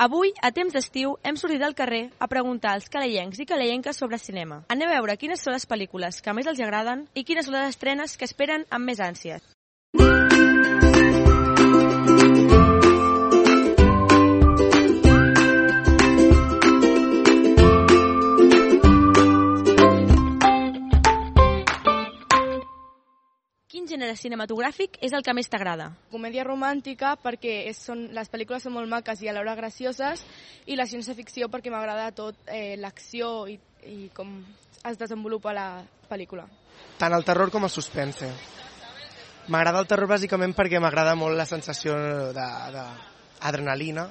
Avui, a temps d'estiu, hem sortit al carrer a preguntar als calellencs i calellenques sobre cinema. Anem a veure quines són les pel·lícules que més els agraden i quines són les estrenes que esperen amb més ànsies. Quin gènere cinematogràfic és el que més t'agrada? Comèdia romàntica perquè les pel·lícules són molt maques i alhora gracioses, i la ciència-ficció perquè m'agrada tot l'acció i com es desenvolupa la pel·lícula. Tant el terror com el suspense. M'agrada el terror bàsicament perquè m'agrada molt la sensació d'adrenalina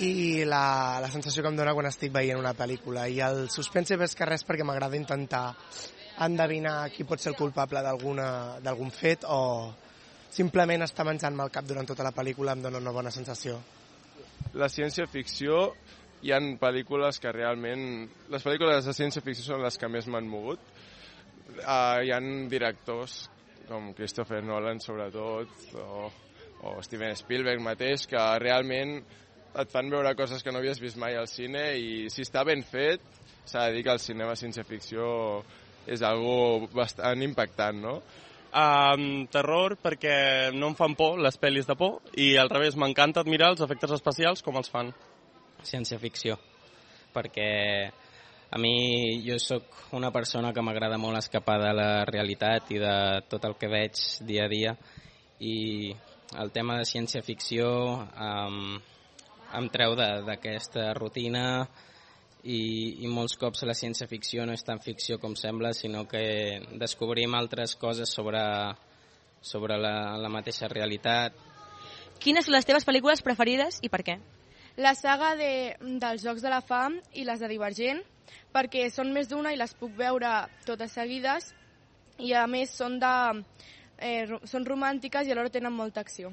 i la sensació que em dona quan estic veient una pel·lícula. I el suspense més que res perquè m'agrada intentar endevinar qui pot ser el culpable d'algun fet, o simplement estar menjant-me el cap durant tota la pel·lícula em dona una bona sensació. La ciència-ficció, hi ha pel·lícules que realment... Les pel·lícules de ciència-ficció són les que més m'han mogut. Hi ha directors com Christopher Nolan, sobretot, o Steven Spielberg mateix, que realment et fan veure coses que no havies vist mai al cine, i si està ben fet, s'ha de dir que el cinema ciència-ficció és algo bastant impactant, no? Terror perquè no em fan por les pel·lis de por, i al revés, m'encanta admirar els efectes especials com els fan. Ciència-ficció, perquè a mi jo sóc una persona que m'agrada molt escapar de la realitat i de tot el que veig dia a dia, i el tema de ciència-ficció em treu d'aquesta rutina. I molts cops la ciència-ficció no és tan ficció com sembla, sinó que descobrim altres coses sobre la mateixa realitat. Quines són les teves pel·lícules preferides i per què? La saga dels Jocs de la Fam i les de Divergent, perquè són més d'una i les puc veure totes seguides, i a més són romàntiques i alhora tenen molta acció.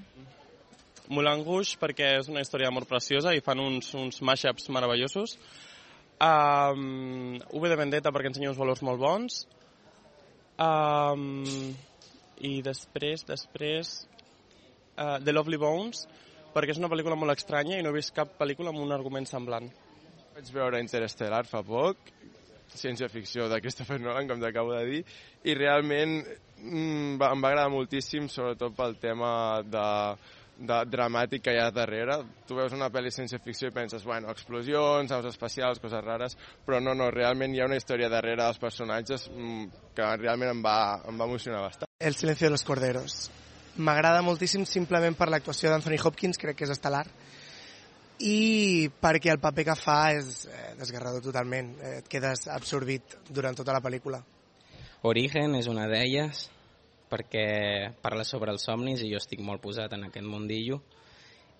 Moulin Rouge perquè és una història d'amor preciosa i fan uns mashups meravellosos. V de Vendetta perquè ensenya uns valors molt bons, i després The Lovely Bones perquè és una pel·lícula molt estranya i no he vist cap pel·lícula amb un argument semblant. Vaig veure Interstellar fa poc, ciència-ficció de Christopher Nolan, com t'acabo de dir, i realment em va agradar moltíssim, sobretot pel tema dramàtic que hi ha darrere. Tu veus una pel·li ciència-ficció i penses, bueno, explosions, naus espacials, coses rares, però no, realment hi ha una història darrere dels personatges que realment em va emocionar bastant. El silencio de los corderos. M'agrada moltíssim simplement per l'actuació d'Anthony Hopkins, crec que és estel·lar, i perquè el paper que fa és desgarrador totalment, et quedes absorbit durant tota la pel·lícula. Origen és una d'elles, perquè parla sobre els somnis i jo estic molt posat en aquest mundillo,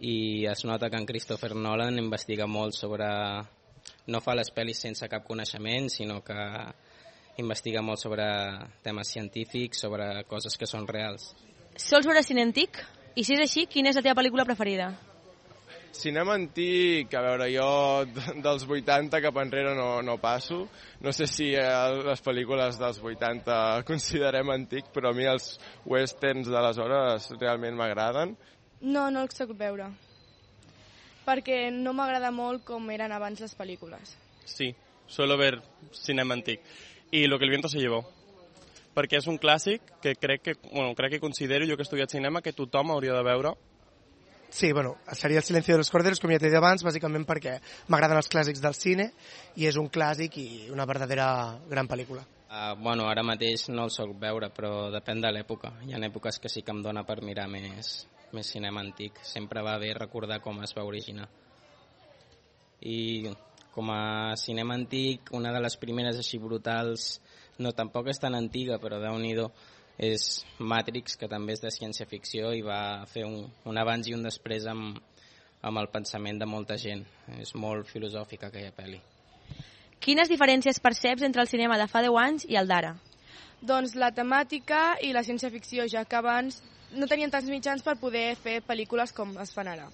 i es nota que en Christopher Nolan investiga molt sobre... No fa les pel·lis sense cap coneixement, sinó que investiga molt sobre temes científics, sobre coses que són reals. Sols veure cine antic? I si és així, quina és la teva pel·lícula preferida? Cinema antic, a veure, jo dels 80 cap enrere no passo. No sé si les pel·lícules dels 80 considerem antic, però a mi els westerns d'aleshores realment m'agraden. No els soc veure, perquè no m'agrada molt com eren abans les pel·lícules. Sí, suelo ver cinema antic. I Lo que el viento se llevó, perquè és un clàssic que crec que considero, jo que he estudiat cinema, que tothom hauria de veure. Sí, seria El silencio de los corderos, com ja t'he dit abans, bàsicament perquè m'agraden els clàssics del cine i és un clàssic i una verdadera gran pel·lícula. Ara mateix no el soc veure, però depèn de l'època. Hi ha èpoques que sí que em dona per mirar més cinema antic. Sempre va bé recordar com es va originar. I com a cinema antic, una de les primeres així brutals, no tampoc és tan antiga, però Déu-n'hi-do, és Matrix, que també és de ciència-ficció i va fer un abans i un després amb el pensament de molta gent. És molt filosòfica aquella pel·li. Quines diferències perceps entre el cinema de fa 10 anys i el d'ara? Doncs la temàtica i la ciència-ficció, ja que abans no tenien tants mitjans per poder fer pel·lícules com es fan ara.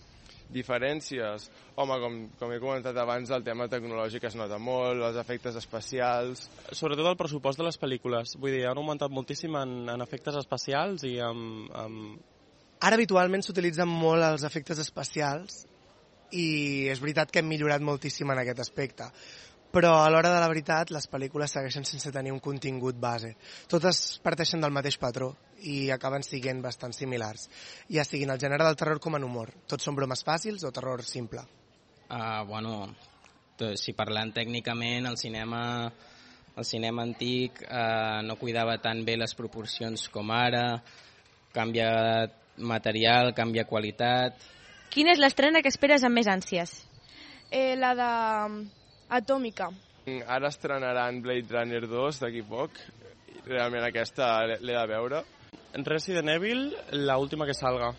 Diferències? Home, com he comentat abans, el tema tecnològic es nota molt, els efectes especials... Sobretot el pressupost de les pel·lícules. Vull dir, han augmentat moltíssim en efectes especials i amb... Ara habitualment s'utilitzen molt els efectes especials i és veritat que hem millorat moltíssim en aquest aspecte. Però a l'hora de la veritat les pel·lícules segueixen sense tenir un contingut base. Totes parteixen del mateix patró i acaben sent bastant similars, ja siguin el gènere del terror com en humor. Tots són bromes fàcils o terror simple. Bueno, si parlant tècnicament, el cinema antic no cuidava tan bé les proporcions com ara, canvia material, canvia qualitat. Quina és l'estrena que esperes amb més ànsies? La de Atòmica. Ara estrenaran Blade Runner 2 d'aquí poc. Realment aquesta l'he de veure. Resident Evil, la última que salga,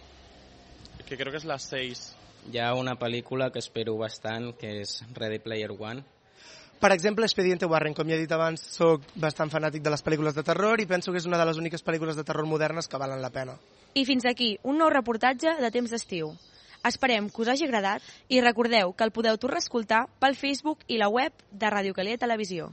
que creo que es la 6. Hi ha una pel·lícula que espero bastant, que és Ready Player One. Per exemple, Expediente Warren, com ja he dit abans, soc bastant fanàtic de les pel·lícules de terror i penso que és una de les úniques pel·lícules de terror modernes que valen la pena. I fins aquí, un nou reportatge de Temps d'Estiu. Esperem que us hagi agradat i recordeu que el podeu tornar a escoltar pel Facebook i la web de Ràdio Calella Televisió.